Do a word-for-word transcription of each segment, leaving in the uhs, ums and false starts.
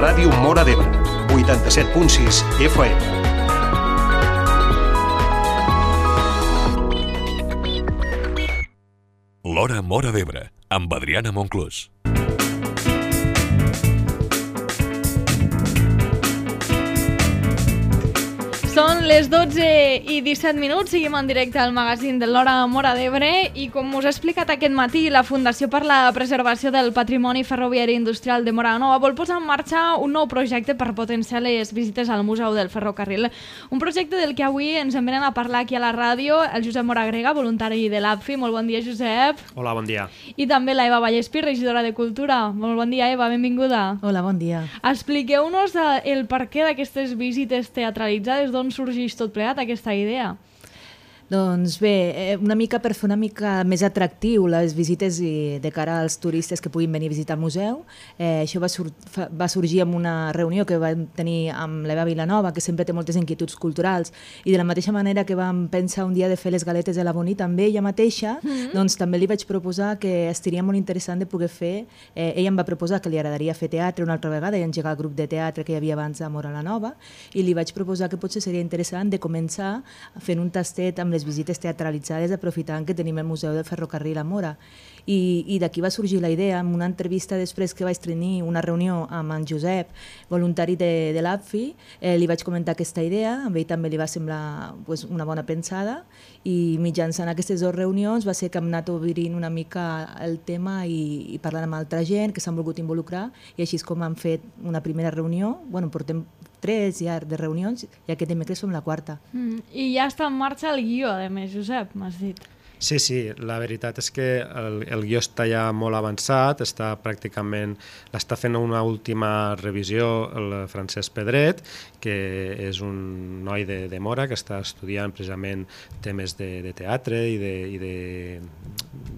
Ràdio Móra d'Ebre, vuitanta-set punt sis F M. L'Hora Móra d'Ebre, amb Adriana Monclús. Són les dotze i disset minuts, seguim en directe al magazín de l'Hora Móra d'Ebre i com us he explicat aquest matí, la Fundació per la Preservació del Patrimoni Ferroviari Industrial de Móra la Nova vol posar en marxa un nou projecte per potenciar les visites al Museu del Ferrocarril. Un projecte del que avui ens en venen a parlar aquí a la ràdio el Josep Moragrega, voluntari de l'A P F I. Molt bon dia, Josep. Hola, bon dia. I també la Eva Vallespí, regidora de Cultura. Molt bon dia, Eva, benvinguda. Hola, bon dia. Expliqueu-nos el perquè d'aquestes visites teatralitzades, d'on sorgeix tot plegat aquesta idea? Doncs bé, una mica per fer una mica més atractiu les visites i de cara als turistes que puguin venir a visitar el museu. Eh, això va, sur va sorgir en una reunió que vam tenir amb l'Eva Vilanova, que sempre té moltes inquietuds culturals, i de la mateixa manera que vam pensar un dia de fer les galetes de la Bonita amb ella mateixa, mm -hmm. doncs també li vaig proposar que estaria molt interessant de poder fer, eh, ella em va proposar que li agradaria fer teatre una altra vegada i engegar el grup de teatre que hi havia abans a Móra la Nova, i li vaig proposar que potser seria interessant de començar fent un tastet amb les visites teatralitzades, aprofitant que tenim el Museu del Ferrocarril a Móra. I, i d'aquí va sorgir la idea, en una entrevista després que vaig tenir una reunió amb en Josep, voluntari de, de l'A P F I, eh, li vaig comentar aquesta idea, a ell també li va semblar pues, una bona pensada, i mitjançant aquestes dues reunions va ser que hem anat obrint una mica el tema i, i parlant amb altra gent que s'han volgut involucrar, i així és com hem fet una primera reunió. Bueno, portem tres ja de reunions i aquest dimecres som la quarta. Mm, I ja està en marxa el guió, a més, Josep, m'has dit. Sí, sí, la veritat és que el, el guió està ja molt avançat, està pràcticament, l'està fent una última revisió el Francesc Pedret, que és un noi de, de Móra que està estudiant precisament temes de, de teatre i de, i de,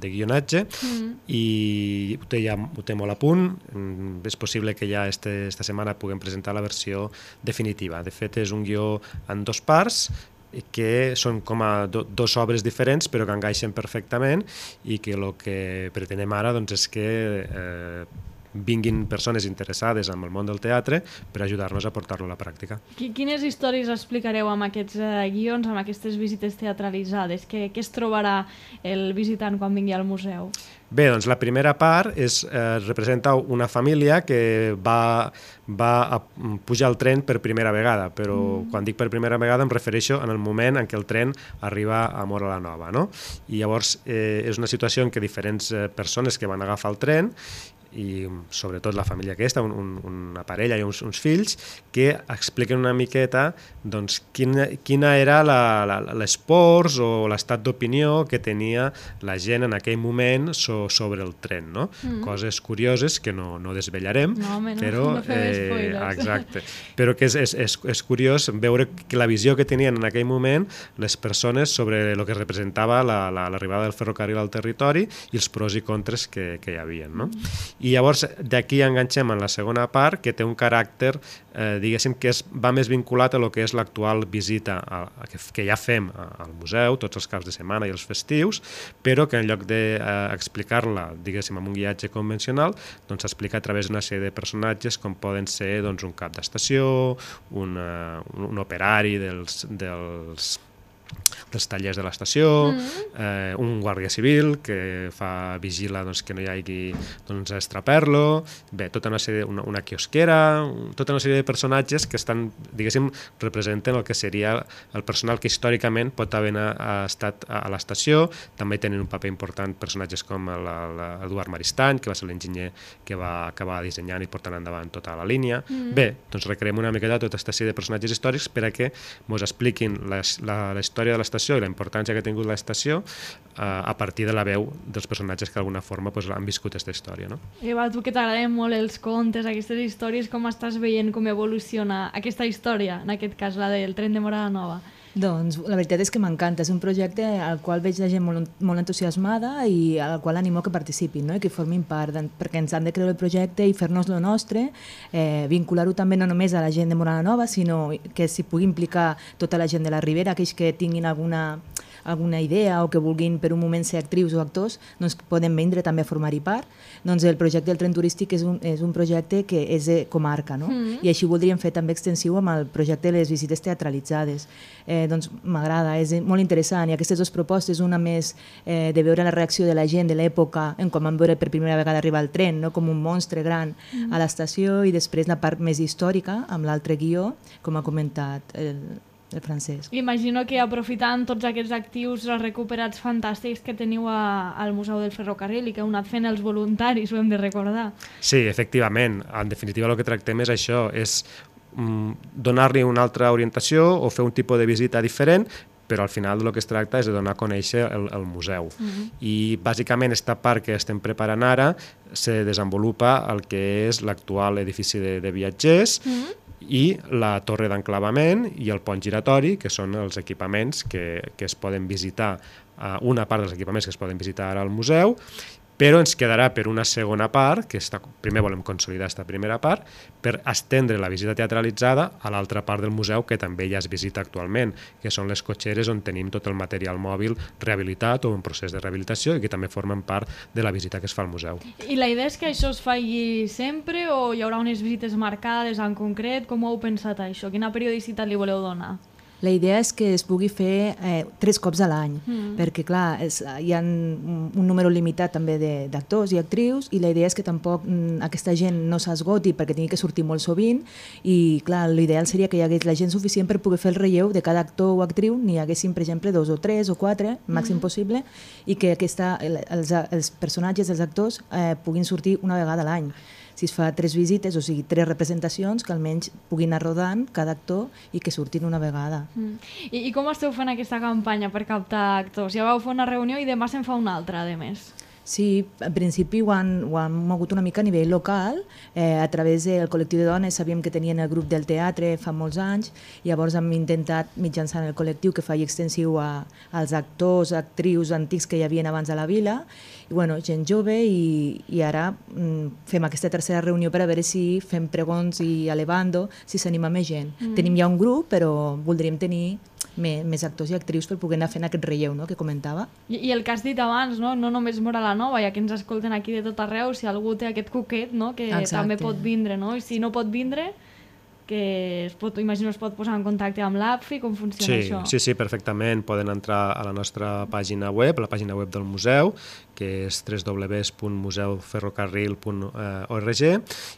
de guionatge, mm. i ho té, ja, ho té molt a punt. És possible que ja este, esta setmana puguem presentar la versió definitiva. De fet, és un guió en dos parts, que són com a do, dos obres diferents però que encaixen perfectament, i que el que pretenem ara doncs, és que eh, vinguin persones interessades en el món del teatre per ajudar-nos a portar-lo a la pràctica. Quines històries explicareu amb aquests eh, guions, amb aquestes visites teatralitzades? Què, què es trobarà el visitant quan vingui al museu? Bé, doncs la primera part és, eh, representa una família que va, va a pujar al tren per primera vegada, però mm. quan dic per primera vegada em refereixo en el moment en què el tren arriba a Móra la Nova, no? I llavors eh, és una situació en què diferents eh, persones que van agafar el tren, i sobretot la família aquesta, un, un, una parella i uns, uns fills, que expliquen una miqueta doncs, quina, quina era l'esports o l'estat d'opinió que tenia la gent en aquell moment so, sobre el tren, no? Mm. Coses curioses que no, no desvetllarem, no, home, no, però, no fem eh, spoilers. exacte, però que és, és, és, és curiós veure que la visió que tenien en aquell moment les persones sobre el que representava l'arribada la, la, del ferrocarril al territori i els pros i contres que, que hi havia, no? Mm. I llavors d'aquí enganxem en la segona part, que té un caràcter, eh, diguéssim, que es, va més vinculat a lo que és l'actual visita a, a, que, que ja fem al museu, tots els caps de setmana i els festius, però que en lloc d'explicar-la, eh, diguéssim, amb un guiatge convencional, doncs s'explica a través d'una sèrie de personatges com poden ser doncs, un cap d'estació, un, uh, un operari dels... dels dels tallers de l'estació, mm. eh, un guàrdia civil que fa vigila doncs, que no hi hagi doncs, estraper-lo, bé, tota una sèrie, una, una quiosquera, tota una sèrie de personatges que estan, diguéssim, representen el que seria el personal que històricament pot haver estat a l'estació. També tenen un paper important personatges com l'Eduard Maristany, que va ser l'enginyer que va acabar dissenyant i portant endavant tota la línia. Mm. Bé, doncs recreem una miqueta tota aquesta sèrie de personatges històrics per a que ens expliquin la, la, la història de l'estació i la importància que ha tingut l'estació eh, a partir de la veu dels personatges que d'alguna forma pues, han viscut aquesta història. No? Eva, tu que t'agraden molt els contes, aquestes històries, com estàs veient com evoluciona aquesta història, en aquest cas la del tren de Móra la Nova? Doncs la veritat és que m'encanta, és un projecte al qual veig la gent molt, molt entusiasmada i al qual animo que participin, no? I que formin part, perquè ens han de creure el projecte i fer-nos lo nostre, eh, vincular-ho també no només a la gent de Móra la Nova, sinó que s'hi pugui implicar tota la gent de la Ribera, aquells que tinguin alguna alguna idea o que vulguin per un moment ser actrius o actors, doncs poden vindre també a formar-hi part. Doncs el projecte del tren turístic és un, és un projecte que és de comarca, no? Mm. I així ho voldríem fer també extensiu amb el projecte de les visites teatralitzades. Eh, doncs m'agrada, és molt interessant, i aquestes dues propostes, una més eh, de veure la reacció de la gent de l'època en quan van veure per primera vegada arribar el tren, no? Com un monstre gran mm. a l'estació, i després la part més històrica amb l'altre guió, com ha comentat el, el Francesc. Imagino que aprofitant tots aquests actius recuperats fantàstics que teniu a, al Museu del Ferrocarril i que heu anat fent els voluntaris, ho hem de recordar. Sí, efectivament. En definitiva el que tractem és això, és donar-li una altra orientació o fer un tipus de visita diferent, però al final el que es tracta és de donar a conèixer el, el museu. Uh-huh. I bàsicament aquesta part que estem preparant ara se desenvolupa el que és l'actual edifici de, de viatgers, uh-huh. i la torre d'enclavament i el pont giratori, que són els equipaments que, que es poden visitar, una part dels equipaments que es poden visitar ara al museu, però ens quedarà per una segona part, que està, primer volem consolidar aquesta primera part, per estendre la visita teatralitzada a l'altra part del museu que també ja es visita actualment, que són les cotxeres on tenim tot el material mòbil rehabilitat o en procés de rehabilitació i que també formen part de la visita que es fa al museu. I la idea és que això es faci sempre o hi haurà unes visites marcades en concret? Com ho heu pensat això? Quina periodicitat li voleu donar? La idea és que es pugui fer eh, tres cops a l'any, mm. perquè clar, és, hi ha un, un número limitat també d'actors i actrius, i la idea és que tampoc mm, aquesta gent no s'esgoti perquè tingui que sortir molt sovint, i clar, l'ideal seria que hi hagués la gent suficient per poder fer el relleu de cada actor o actriu, n'hi haguessin, per exemple, dos o tres o quatre, màxim mm. possible, i que aquesta, els, els personatges, els actors, eh, puguin sortir una vegada a l'any. Si es fa tres visites, o sigui, tres representacions, que almenys puguin anar rodant cada actor i que surtin una vegada. Mm. I, I com esteu fent aquesta campanya per captar actors? Ja vau fer una reunió i demà se'n fa una altra, a més. Sí, en principi ho han, ho han mogut una mica a nivell local, eh, a través del col·lectiu de dones. Sabíem que tenien el grup del teatre fa molts anys, llavors hem intentat mitjançant el col·lectiu que faci extensiu a, als actors, actrius antics que hi havia abans a la vila, i bueno, gent jove, i, i ara mm, fem aquesta tercera reunió per a veure si fem pregons i elevando, si s'anima més gent. Mm. Tenim ja un grup, però voldríem tenir més, més actors i actrius per poder anar fent aquest relleu, no?, que comentava. I, I el que has dit abans, no, no només Móra la Nova, ja que ens escolten aquí de tot arreu, si algú té aquest cuquet, no?, que Exacte. També pot vindre, no? I si no pot vindre, que es pot, imagino es pot posar en contacte amb l'A P F I, com funciona sí, això? Sí, sí, perfectament. Poden entrar a la nostra pàgina web, la pàgina web del museu, que és w w w punt museu ferrocarril punt org,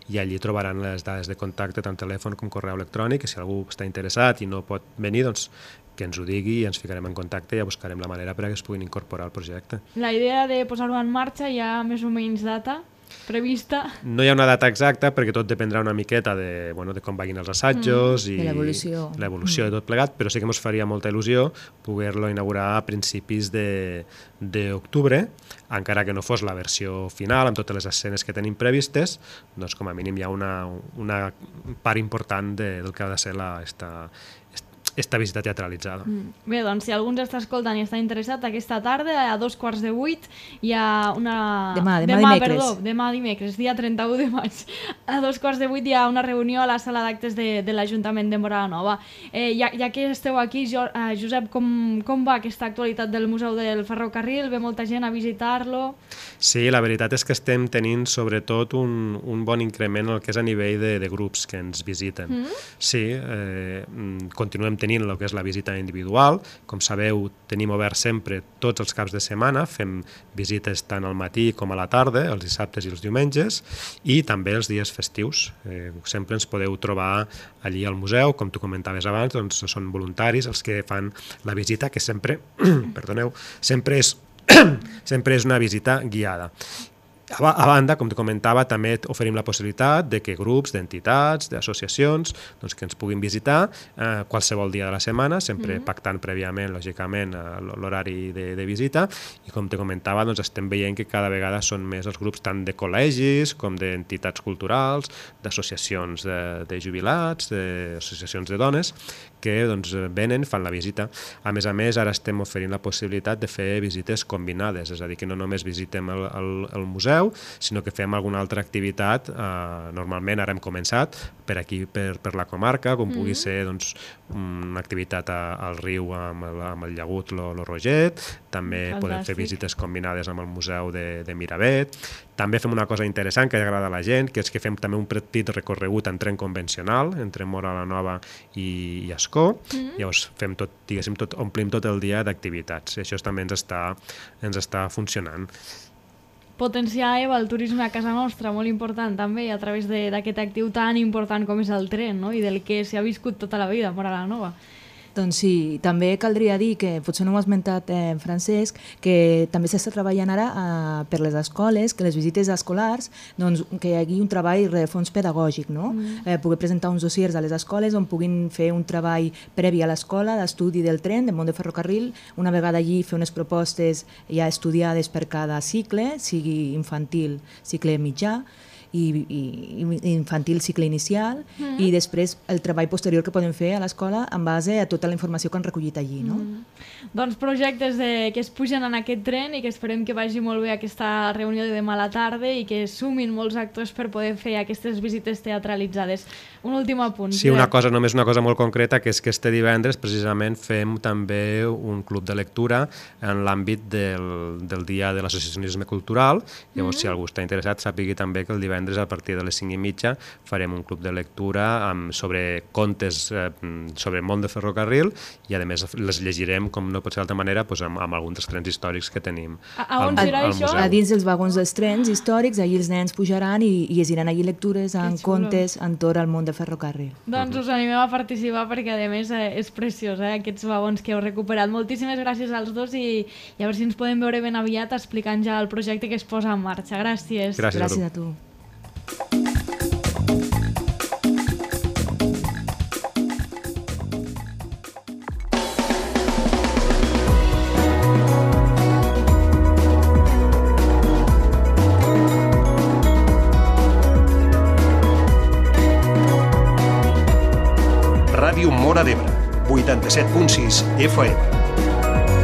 i allí trobaran les dades de contacte, tant telèfon com correu electrònic, que si algú està interessat i no pot venir, doncs que ens ho digui i ens ficarem en contacte i ja buscarem la manera perquè es puguin incorporar al projecte. La idea de posar-ho en marxa hi ha més o menys data prevista? No hi ha una data exacta perquè tot dependrà una miqueta de, bueno, de com vagin els assajos mm. i l'evolució mm. de tot plegat, però sí que ens faria molta il·lusió poder-lo inaugurar a principis d'octubre, encara que no fos la versió final amb totes les escenes que tenim previstes, doncs com a mínim hi ha una, una part important de, del que ha de ser la, esta, esta visita teatralitzada. Mm. Bé, doncs si algú ens està escoltant i està interessat, aquesta tarda a dos quarts de vuit hi ha una... Demà, demà, demà dimecres. Perdó, demà dimecres, dia trenta-u de maig. A dos quarts de vuit hi ha una reunió a la sala d'actes de, de l'Ajuntament de Móra la Nova. Eh, ja, ja que esteu aquí, jo, eh, Josep, com, com va aquesta actualitat del Museu del Ferrocarril? Ve molta gent a visitar-lo? Sí, la veritat és que estem tenint sobretot un, un bon increment el que és a nivell de, de grups que ens visiten. Mm? Sí, eh, continuem tenint el que és la visita individual. Com sabeu, tenim obert sempre tots els caps de setmana, fem visites tant al matí com a la tarda, els dissabtes i els diumenges, i també els dies festius. Eh, sempre ens podeu trobar allí al museu, com tu comentaves abans, doncs són voluntaris els que fan la visita, que sempre, perdoneu, sempre és, sempre és una visita guiada. A banda, com te comentava, també oferim la possibilitat de que grups d'entitats, d'associacions, doncs que ens puguin visitar eh, qualsevol dia de la setmana, sempre mm-hmm. pactant prèviament, lògicament, l'horari de, de visita, i com te comentava, doncs estem veient que cada vegada són més els grups tant de col·legis com d'entitats culturals, d'associacions de, de jubilats, d'associacions de dones, que doncs, venen, fan la visita. A més a més, ara estem oferint la possibilitat de fer visites combinades, és a dir, que no només visitem el, el, el museu, museu, sinó que fem alguna altra activitat. Eh, normalment ara hem començat per aquí, per, per la comarca, com pugui mm. ser doncs, una activitat a, al riu amb el, amb el llagut Lo, Lo Roget, també Fantàstic. Podem fer visites combinades amb el museu de, de Miravet. També fem una cosa interessant que agrada a la gent, que és que fem també un petit recorregut en tren convencional entre Móra la Nova i, i Ascó. Mm-hmm. Llavors fem tot, diguéssim, tot, omplim tot el dia d'activitats. I això també ens està, ens està funcionant. Potenciar, Eva, el turisme a casa nostra, molt important també, a través d'aquest actiu tan important com és el tren, no? I del que s'ha viscut tota la vida a Móra la Nova. Doncs sí, també caldria dir, que potser no ho ha esmentat eh, Francesc, que també s'està treballant ara eh, per les escoles, que les visites escolars, doncs, que hi hagi un treball de fons pedagògic, no? Mm. Eh, poder presentar uns dossiers a les escoles on puguin fer un treball previ a l'escola d'estudi del tren, del món de ferrocarril, una vegada allí fer unes propostes ja estudiades per cada cicle, sigui infantil, cicle mitjà, i, i infantil, cicle inicial, mm. i després el treball posterior que podem fer a l'escola en base a tota la informació que han recollit allí. No? Mm. Doncs projectes de, que es pugen en aquest tren i que esperem que vagi molt bé aquesta reunió de demà a la tarda i que sumin molts actors per poder fer aquestes visites teatralitzades. Un últim apunt. Sí, una cosa, només una cosa molt concreta, que és que este divendres precisament fem també un club de lectura en l'àmbit del, del dia de l'associacionisme cultural. Llavors, mm. si algú està interessat, sàpigui també que el divendres a partir de les cinc i mitja farem un club de lectura amb, sobre contes eh, sobre el món de ferrocarril i a més les llegirem, com no pot ser d'altra manera, doncs amb, amb alguns dels trens històrics que tenim a, a on al, serà al això? A dins dels vagons dels trens històrics, allí els nens pujaran i, i llegiran allí lectures en contes entorn al món de ferrocarril. Doncs us animem a participar perquè a més eh, és preciós, eh, aquests vagons que heu recuperat. Moltíssimes gràcies als dos i, i a veure si ens podem veure ben aviat explicant ja el projecte que es posa en marxa. Gràcies. Gràcies, gràcies a tu. Ràdio Móra d'Ebre, vuitanta-set punt sis F M.